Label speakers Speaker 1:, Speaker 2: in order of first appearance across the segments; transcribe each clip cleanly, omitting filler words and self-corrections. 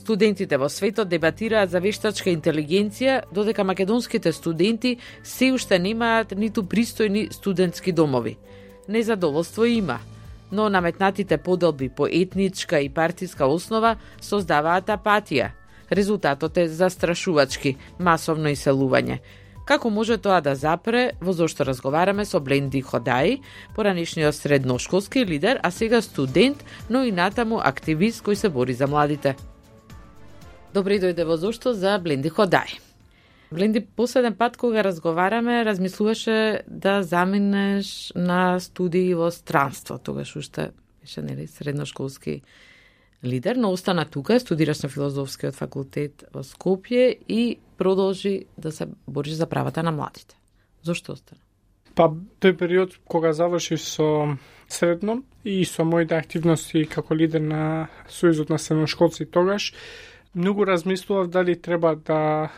Speaker 1: Студентите во светот дебатираат за вештачка интелигенција, додека македонските студенти се уште немаат ниту пристојни студентски домови. Незадоволство има, но наметнатите поделби по етничка и партиска основа создаваат апатија. Резултатот е застрашувачки, масовно иселување. Како може тоа да запре, во зошто разговараме со Бленди Ходаи, поранешниот средношколски лидер, а сега студент, но и натаму активист кој се бори за младите. Добре дојде во зошто за Бленди Ходаи. Бленди, последен пат кога разговараме, размислуваше да заминеш на студии во странство. Тогаш уште беше нели средношколски лидер, но остана тука, студираш на филозофскиот факултет во Скопје и продолжи да се бориш за правата на младите. Зошто остана?
Speaker 2: Па, тој период кога заврши со средно и со моите активности како лидер на Сојузот на средношколци тогаш, многу размислував дали треба да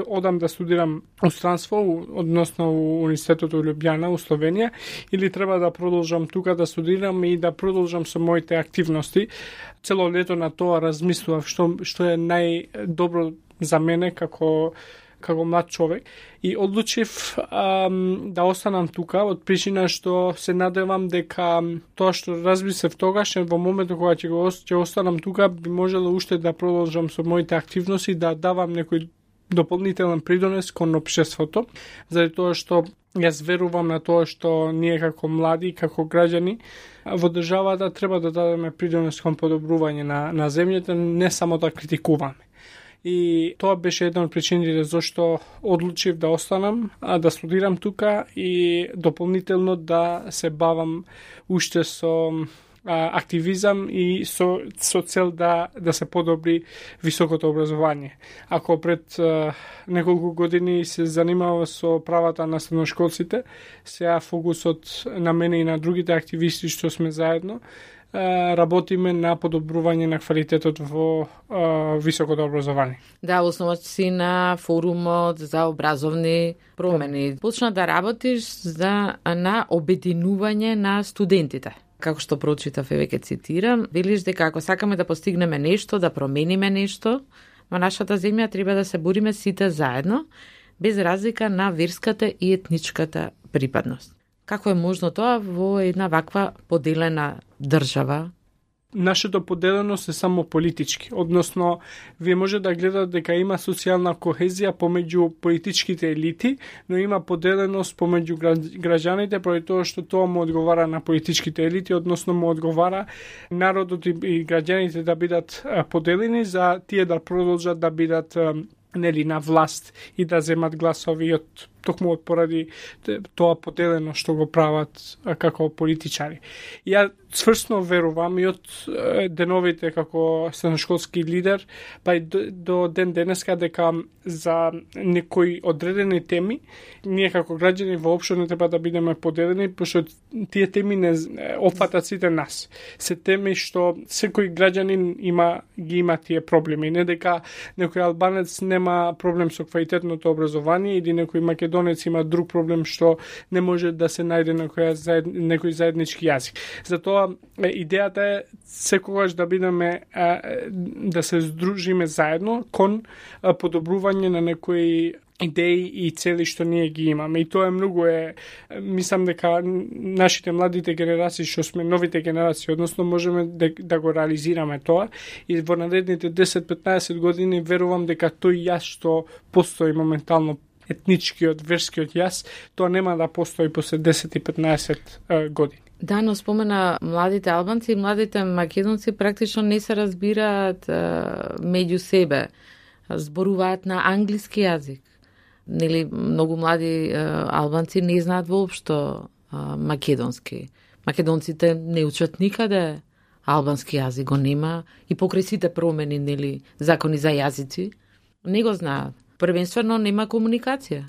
Speaker 2: одам да студирам у странство, односно у Университетот во Лјубљана, у Словенија, или треба да продолжам тука да студирам и да продолжам со моите активности. Цело лето на тоа размислував што е најдобро за мене како млад човек и одлучив да останам тука од причина што се надевам дека тоа што размислев тогаш во моментот кога ќе останам тука би можело уште да продолжам со моите активности, да давам некој дополнителен придонес кон општеството, заради тоа што јас верувам на тоа што ние како млади, како граѓани во државата треба да дадеме придонес кон подобрување на земјата, не само да критикуваме. И тоа беше една од причините зашто одлучив да останам, да студирам тука и дополнително да се бавам уште со активизам и со цел да се подобри високото образование. Ако пред неколку години се занимава со правата на средношколците, сега фокусот на мене и на другите активисти што сме заедно, работиме на подобрување на квалитетот во високото образование.
Speaker 1: Да, основач си на форумот за образовни промени. Почна да работиш на обединување на студентите. Како што прочитав, веќе цитирам, велиш дека ако сакаме да постигнеме нешто, да промениме нешто, во нашата земја треба да се бориме сите заедно, без разлика на верската и етничката припадност. Како е можно тоа во една ваква поделена држава?
Speaker 2: Нашето поделеност е само политички, односно вие може да гледате дека има социјална кохезија помеѓу политичките елити, но има поделеност помеѓу граѓаните поради тоа што тоа му одговара на политичките елити, односно му одговара народот и граѓаните да бидат поделени за тие да продолжат да бидат на власт и да земат гласови токму поради тоа поделено што го прават како политичари. Ја цврсно верувам и од деновите како средношколски лидер, па и до ден денеска дека за некои одредени теми ние како граѓани воопшто не треба да бидеме поделени, пошто тие теми не опфатат сите нас. Се теми што секој граѓанин ги има тие проблеми, не дека некој албанец нема проблем со квалитетното образование или некој македонец има друг проблем што не може да се најде некој заеднички јазик. Затоа идејата е секогаш да бидеме да се здружиме заедно кон подобрување на некои идеи и цели што ние ги имаме. И тоа е многу мислам дека нашите младите генерации, што сме новите генерации, односно можеме да го реализираме тоа и во наредните 10-15 години верувам дека тој јас што постои моментално етничкиот, верскиот јас, тоа нема да постои после 10 и 15 години.
Speaker 1: Да, но спомена младите албанци и младите македонци практично не се разбираат меѓу себе. Зборуваат на англиски јазик. Нели, многу млади албанци не знаат воопшто македонски. Македонците не учат никаде албански јазик, го нема и покрај сите промени, нели, закони за јазици, не го знаат. Првенствено нема комуникација.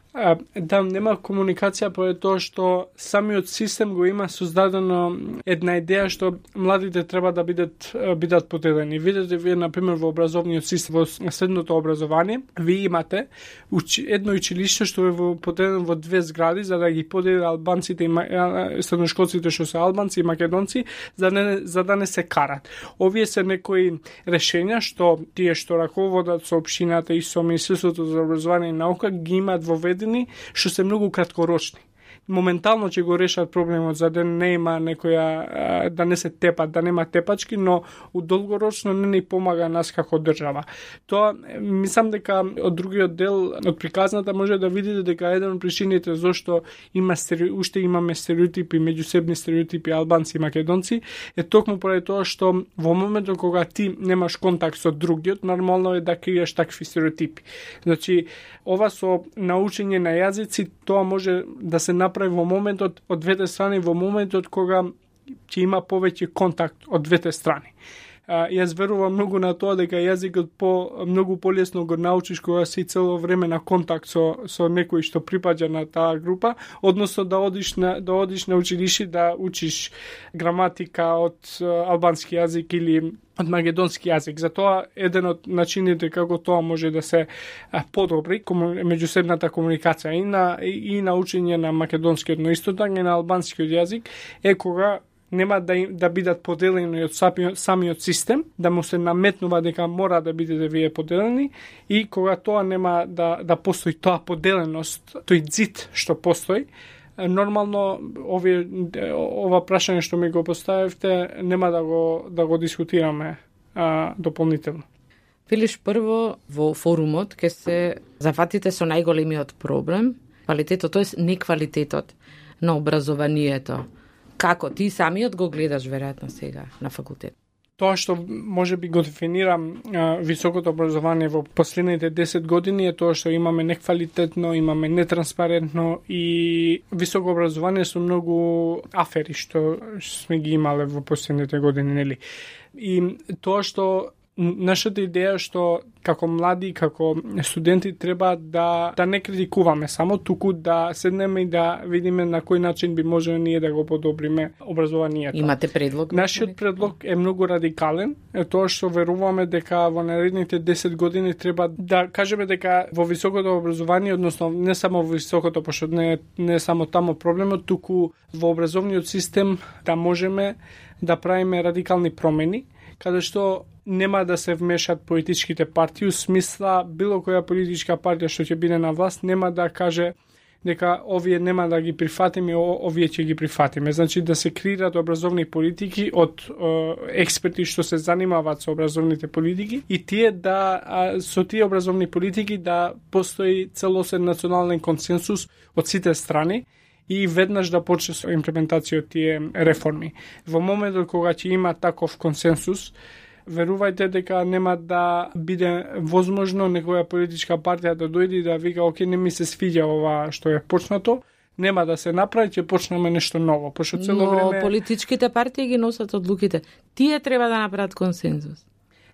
Speaker 2: Да, нема комуникација по тоа што самиот систем го има создадено една идеја што младите треба да бидат поделени. Видете вие на пример во образовниот систем, во средното образование, вие имате едно училиште што е поделено во две згради за да ги подели албанците и средношколците што се албанци и македонци за да не се карат. Овие се некои решења што тие што раководат со општината и со Министерството за образование и наука ги имаат воведени што се многу краткорочни. Моментално ќе го решат проблемот за да не има некоја да не се тепат, да нема тепачки, но долгорочно не ни помага нас како држава. Тоа мислам дека од другиот дел од приказната може да видите дека еден од причините зошто уште имаме стереотипи, меѓусебни стереотипи албанци и македонци е токму поради тоа што во моментот кога ти немаш контакт со другиот, нормално е да криеш такви стереотипи. Значи, ова со научење на јазици, тоа може да се направи во моментот од двете страни, во моментот кога ќе има повеќе контакт од двете страни. Јас верувам многу на тоа дека јазикот многу полесно го научиш кога си цело време на контакт со некој што припаѓа на таа група, односно да одиш на училиште да учиш граматика од албански јазик или од македонски јазик. Затоа еден од начините како тоа може да се подобри меѓусебната комуникација и на учење на македонскиот, но исто така и на албанскиот јазик е кога нема да бидат поделени од самиот систем, да му се наметнува дека мора да бидете вие поделени и кога тоа нема да постои тоа поделеност, тој зид што постои, нормално ова прашање што ми го поставивте нема да го дискутираме дополнително.
Speaker 1: Велиш прво во форумот ке се зафатите со најголемиот проблем, квалитетот, тоест неквалитетот на образованието. Како ти самиот го гледаш веројатно сега на факултет?
Speaker 2: Тоа што може би го дефинирам високото образование во последните 10 години е тоа што имаме неквалитетно, имаме нетранспарентно и високо образование со многу афери што сме ги имале во последните години, нели? И тоа што нашата идеја што како млади, како студенти треба да не критикуваме само, туку да седнеме и да видиме на кој начин би можеле ние да го подобриме образованието.
Speaker 1: Имате предлог?
Speaker 2: Нашиот предлог е многу радикален, е тоа што веруваме дека во наредните 10 години треба да кажеме дека во високото образование, односно не само во високото, пошто не само тамо проблемот, туку во образовниот систем да можеме да правиме радикални промени, каде што нема да се вмешат политичките партии, у смисла било која политичка партија што ќе биде на власт нема да каже дека овие нема да ги прифатиме, овие ќе ги прифатиме. Значи да се креираат образовни политики од експерти што се занимаваат со образовните политики и тие со тие образовни политики да постои целосен национален консенсус од сите страни и веднаш да почне со имплементација од тие реформи. Во моментот кога ќе има таков консенсус, верувајте дека нема да биде возможно некоја политичка партија да дојде и да вика оке, не ми се свиѓа ова што е почнато, нема да се направи, ќе почнеме нешто ново. Пошто цело време
Speaker 1: политичките партии ги носат одлуките. Тие треба да направат консензус.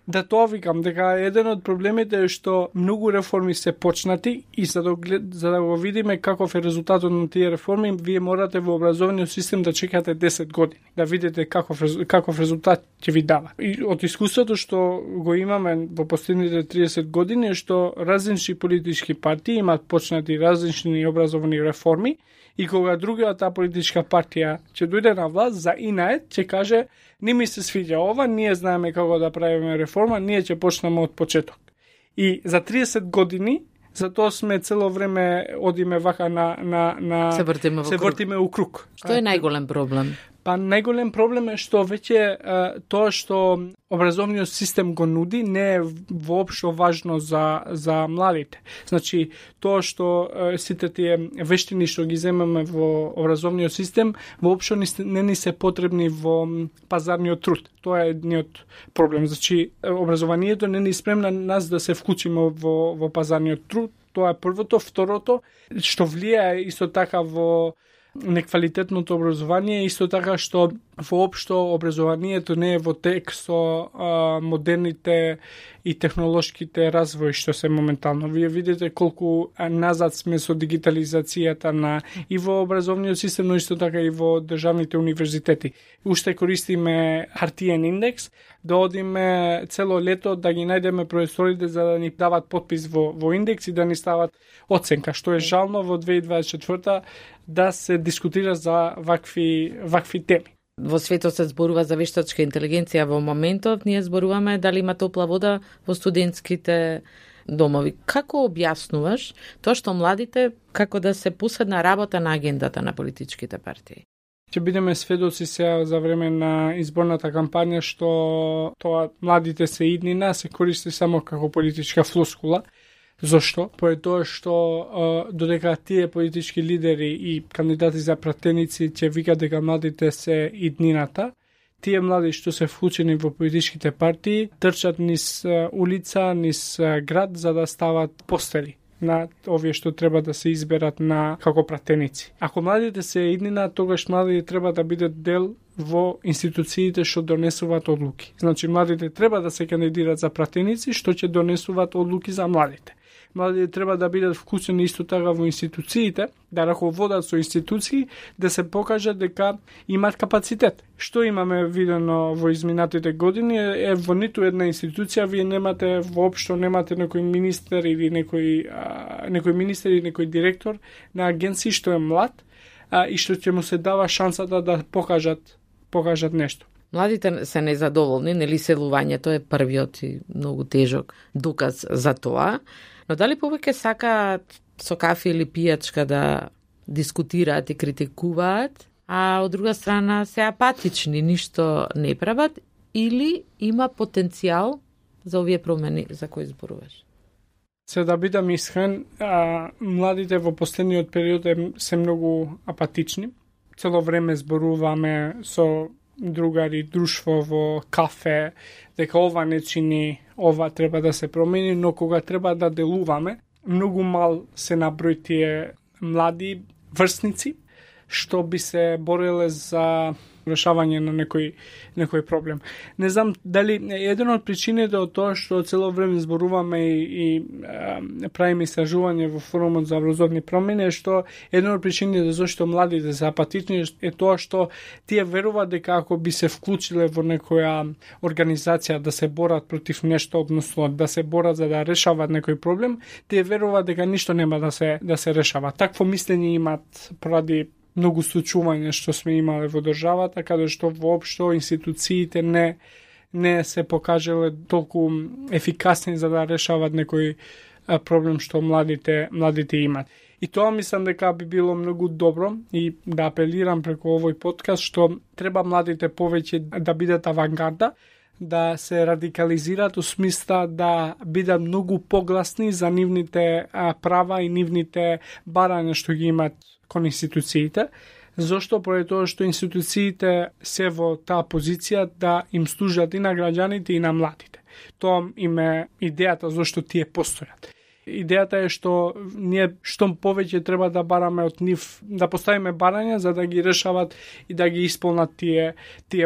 Speaker 2: Да, тоа викам, дека еден од проблемите е што многу реформи се почнати и за да го видиме каков е резултатот на тие реформи, вие морате во образовниот систем да чекате 10 години, да видите каков резултат ќе ви дава. И од искуството што го имаме во последните 30 години е што различни политички партии имаат почнати различни образовни реформи и кога другата политичка партија ќе дојде на власт, за инает ќе каже не ми се свиѓа ова, ние знаеме како да правиме реформа, ние ќе почнеме од почеток. И за 30 години, затоа сме цело време одиме вака
Speaker 1: се вртиме
Speaker 2: у круг.
Speaker 1: Што е најголем проблем?
Speaker 2: Па најголем проблем е што веќе тоа што образовниот систем го нуди не е воопшто важно за младите. Значи, тоа што сите тие вештини што ги земеме во образовниот систем воопшто не ни се потребни во пазарниот труд. Тоа е едниот проблем. Значи, образованието не ни спремна нас да се вклучиме во пазарниот труд. Тоа е првото. Второто, што влијае исто така во неквалитетното образование, исто така што воопшто образованието не е во тек со модерните и технолошките развои што се моментално. Вие видите колку назад сме со дигитализацијата на и во образовниот систем, но исто така и во државните универзитети. Уште користиме хартиен индекс, да одиме цело лето да ги најдеме професорите за да ни дават подпис во индекс и да ни стават оценка, што е жално во 2024 да се дискутира за вакви теми.
Speaker 1: Во светот се зборува за вештачка интелигенција во моментот, ние зборуваме дали има топла вода во студентските домови. Како објаснуваш тоа што младите како да се поседна работа на агендата на политичките партии?
Speaker 2: Ќе бидеме сведоци сега за време на изборната кампања што тоа младите се иднина се користи само како политичка флоскула. Зошто? Поради тоа што додека тие политички лидери и кандидати за пратеници ќе викат дека младите се иднината, тие млади што се вклучени во политичките партии трчат низ улица, низ град за да стават постери на овие што треба да се изберат на како пратеници. Ако младите се иднина, тогаш младите треба да бидат дел во институциите што донесуваат одлуки. Значи младите треба да се кандидираат за пратеници што ќе донесуваат одлуки за младите. Младите треба да бидат вклучени исто така во институциите, да раководат со институции, да се покажат дека имаат капацитет. Што имаме видено во изминатите години е во ниту една институција вие немате воопшто немате некој министер или некој министер или некој директор на агенција што е млад и што ќе му се дава шансата да покажат нешто.
Speaker 1: Младите се незадоволни, нели селувањето е првиот и многу тежок доказ за тоа. Но дали повеќе сакаат со кафе или пијачка да дискутираат и критикуваат, а од друга страна се апатични, ништо не прават, или има потенцијал за овие промени за кои зборуваш?
Speaker 2: Се да бидам искрен, младите во последниот период се многу апатични. Цело време зборуваме со другари, друштво во кафе, дека ова не чини, ова треба да се промени, но кога треба да делуваме, многу мал се наброј тие млади врсници што би се бореле за решавање на некој проблем. Не знам дали еден од причините од тоа што цело време зборуваме и правиме истражување во форумот за образовни промени е што еден од причините зашто младите се апатични е тоа што тие веруваат дека ако би се вклучиле во некоја организација да се борат против нешто, односно да се борат за да решават некој проблем, тие веруваат дека ништо нема да се решава. Такво мислење имаат поради многу случувања што сме имале во државата, каде што воопшто институциите не се покажале толку ефикасни за да решават некој проблем што младите имат. И тоа мислам дека би било многу добро и да апелирам преку овој подкаст што треба младите повеќе да бидат авангарда, да се радикализираат у смисла да бидат многу погласни за нивните права и нивните барања што ги имат кон институциите. Зошто? Поради тоа што институциите се во таа позиција да им служат и на граѓаните и на младите. Тоа им е идејата зашто тие постојат. Идејата е што ние што повеќе треба да бараме од нив, да поставиме барања за да ги решават и да ги исполнат тие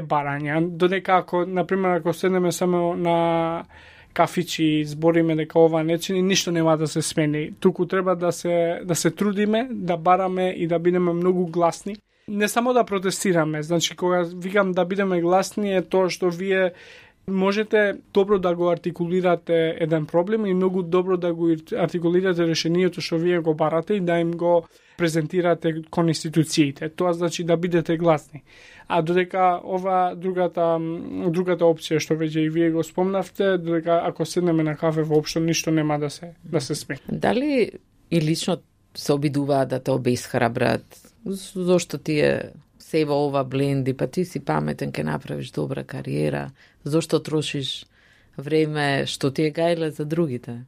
Speaker 2: барања. Додека ако, например, ако седнеме само на кафичи и збориме дека ова не чини, ништо нема да се смени. Туку треба да се трудиме, да бараме и да бидеме многу гласни. Не само да протестираме, значи кога викам да бидеме гласни е тоа што вие можете добро да го артикулирате еден проблем и многу добро да го артикулирате решението што вие го барате и да им го презентирате кон институциите. Тоа значи да бидете гласни. А додека ова другата опција што веќе и вие го спомнавте, додека ако седнеме на кафе воопшто ништо нема да се смени.
Speaker 1: Дали и лично се обидуваат да те обесхрабрат? Зошто ти е се во ова бленди, па ти си паметен, ке направиш добра кариера, зошто трошиш време што ти е гајле за другите?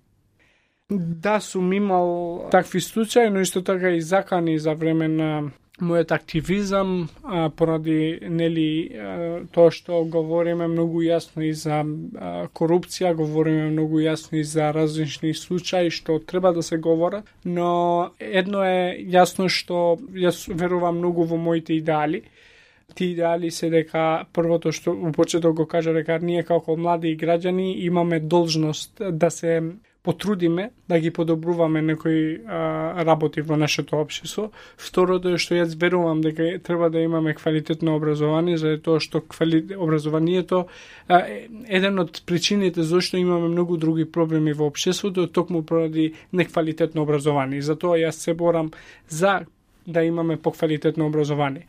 Speaker 2: Да, сум имал такви случаи, но исто така и закани за време на мојот активизам поради тоа што говориме многу јасно и за корупција, говориме многу јасно и за различни случаи што треба да се говорат, но едно е јасно што јас верувам многу во моите идеали. Ти идеали се дека првото што во почеток го кажа дека ние како млади граѓани имаме должност да се потрудиме да ги подобруваме некои работи во нашето општество. Второто е што јас верувам дека треба да имаме квалитетно образование, за тоа што образованието еден од причините зашто имаме многу други проблеми во општеството токму поради неквалитетно образование. Затоа јас се борам за да имаме поквалитетно образование.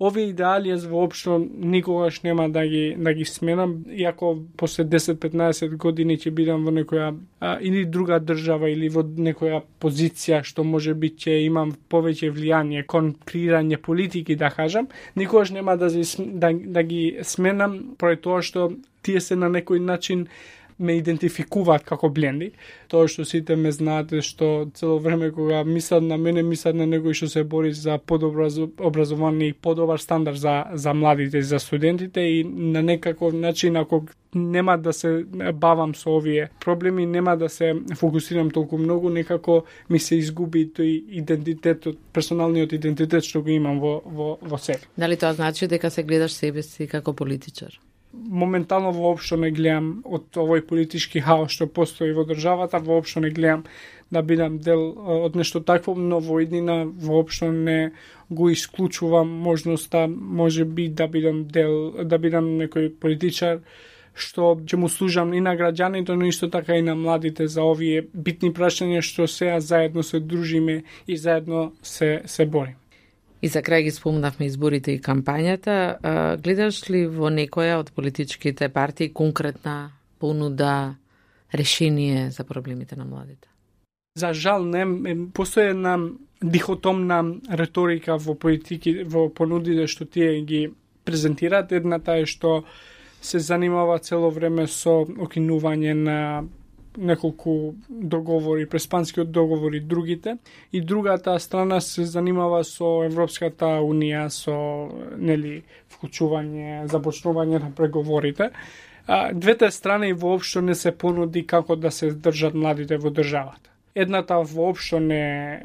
Speaker 2: Овие идеали јас воопшто никогаш нема да ги сменам, иако после 10-15 години ќе бидам во некоја или друга држава или во некоја позиција што може би ќе имам повеќе влијание кон креирање политики, да кажам, никогаш нема да ги сменам поради тоа што тие се на некој начин ме идентификуваат како бленди. Тоа што сите ме знаате што цело време кога мислат на мене, мислат на некој што се бори за подобро образование и подобар стандард за младите, за студентите и на некаков начин ако нема да се бавам со овие проблеми, нема да се фокусирам толку многу, некако ми се изгуби тој идентитетот, персоналниот идентитет што го имам во себе.
Speaker 1: Дали тоа значи дека се гледаш себе си како политичар?
Speaker 2: Моментално воопшто не гледам од овој политички хаос што постои во државата, воопшто не гледам да бидам дел од нешто такво, но во иднина воопшто не го исклучувам можноста, може би да бидам некој политичар што ќе му служам и на граѓаните, но исто така и на младите за овие битни прашања што сега заедно се дружиме и заедно се борим.
Speaker 1: И за крај ги спомнавме изборите и кампањата. Гледаш ли во некоја од политичките партии конкретна понуда, решение за проблемите на младите?
Speaker 2: За жал не, постои една дихотомна реторика во политики, во понудите што тие ги презентираат. Едната е што се занимава цело време со окинување на неколку договори, преспанскиот договори, другите, и другата страна се занимава со Европската Унија, со вклучување, започнување на преговорите. Двете страни воопшто не се понуди како да се држат младите во државата. Едната воопшто не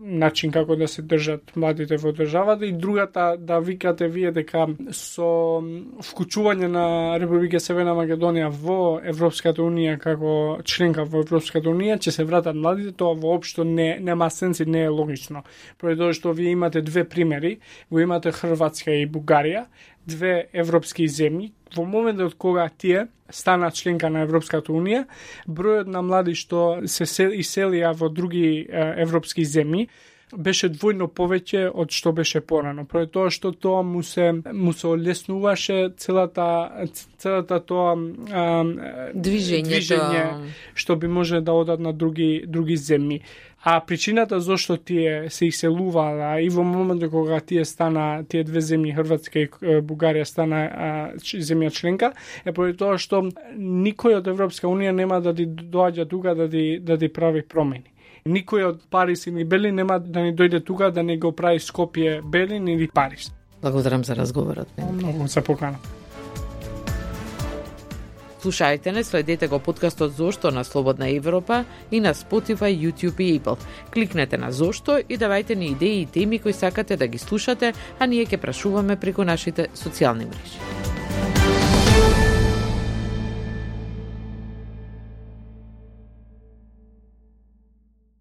Speaker 2: начин како да се држат младите во државата и другата да викате вие дека со вклучување на Република Северна Македонија во Европската Унија како членка во Европската Унија ќе се вратат младите, тоа воопшто нема сенс и не е логично. Поради тоа што вие имате две примери, го имате Хрватска и Бугарија, две европски земји. Во моментот кога тие стана членка на Европската Унија, бројот на млади што се иселија во други европски земји беше двојно повеќе од што беше порано. Поради тоа што тоа му се олеснуваше целата тоа движење што би може да одат на други земји. А причината зашто тие се иселуваа и во моментот кога тие две земји, Хрватска и Бугарија, стана земја членка, е поради тоа што никој од Европска Унија нема да ти доаѓа тука да ти прави промени. Никој од Париз или Берлин нема да ни дојде тука да не го прави Скопје, Берлин или Париз.
Speaker 1: Благодарам за разговорот.
Speaker 2: Многу за покана.
Speaker 1: Слушајте не, следете го подкастот Зошто на Слободна Европа и на Spotify, YouTube и Apple. Кликнете на Зошто и давајте ни идеи и теми кои сакате да ги слушате, а ние ќе прашуваме преку нашите социјални мрежи.